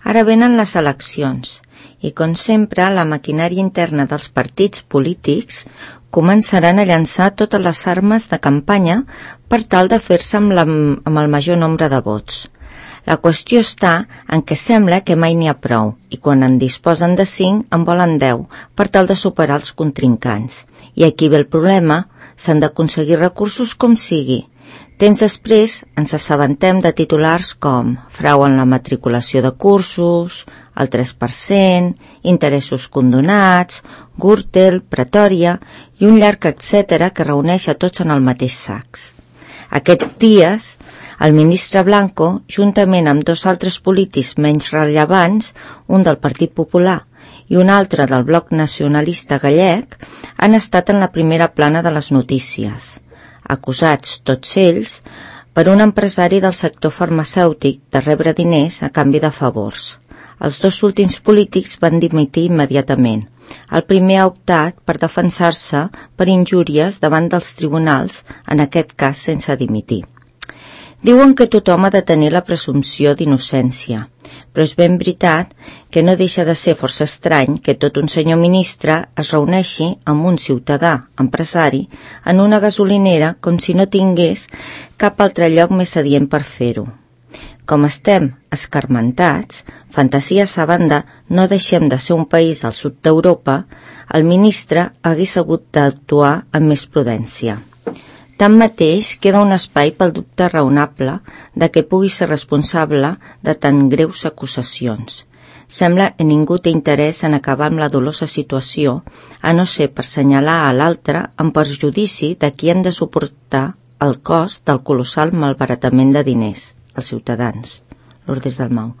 Ara venen les eleccions i, com sempre, la maquinària interna dels partits polítics començaran a llançar totes les armes de campanya per tal de fer-se amb el major nombre de vots. La qüestió està en què sembla que mai n'hi ha prou i quan en disposen de 5 en volen 10 per tal de superar els contrincants. I aquí ve el problema, s'han d'aconseguir recursos com sigui. Temps després ens assabentem de titulars com frau en la matriculació de cursos, el 3%, interessos condonats, Gürtel, Pretòria i un llarg etcètera que reuneix a tots en el mateix sac. Aquests dies, el ministre Blanco, juntament amb 2 altres polítics menys rellevants, un del Partit Popular i un altre del Bloc Nacionalista Gallec, han estat en la primera plana de les notícies, acusats tots ells per un empresari del sector farmacèutic de rebre diners a canvi de favors. Els 2 últims polítics van dimitir immediatament. El primer ha optat per defensar-se per injúries davant dels tribunals, en aquest cas sense dimitir. Diuen que tothom ha de tenir la presumpció d'innocència, però és ben veritat que no deixa de ser força estrany que tot un senyor ministre es reuneixi amb un ciutadà empresari en una gasolinera com si no tingués cap altre lloc més adient per fer-ho. Com estem escarmentats, fantasies a banda, no deixem de ser un país del sud d'Europa, el ministre hagués hagut d'actuar amb més prudència. Tanmateix, queda un espai pel dubte raonable de que pugui ser responsable de tan greus acusacions. Sembla que ningú té interès en acabar amb la dolosa situació, a no ser per senyalar a l'altre en perjudici de qui hem de suportar el cost del colossal malbaratament de diners, els ciutadans. Lourdes Dalmau.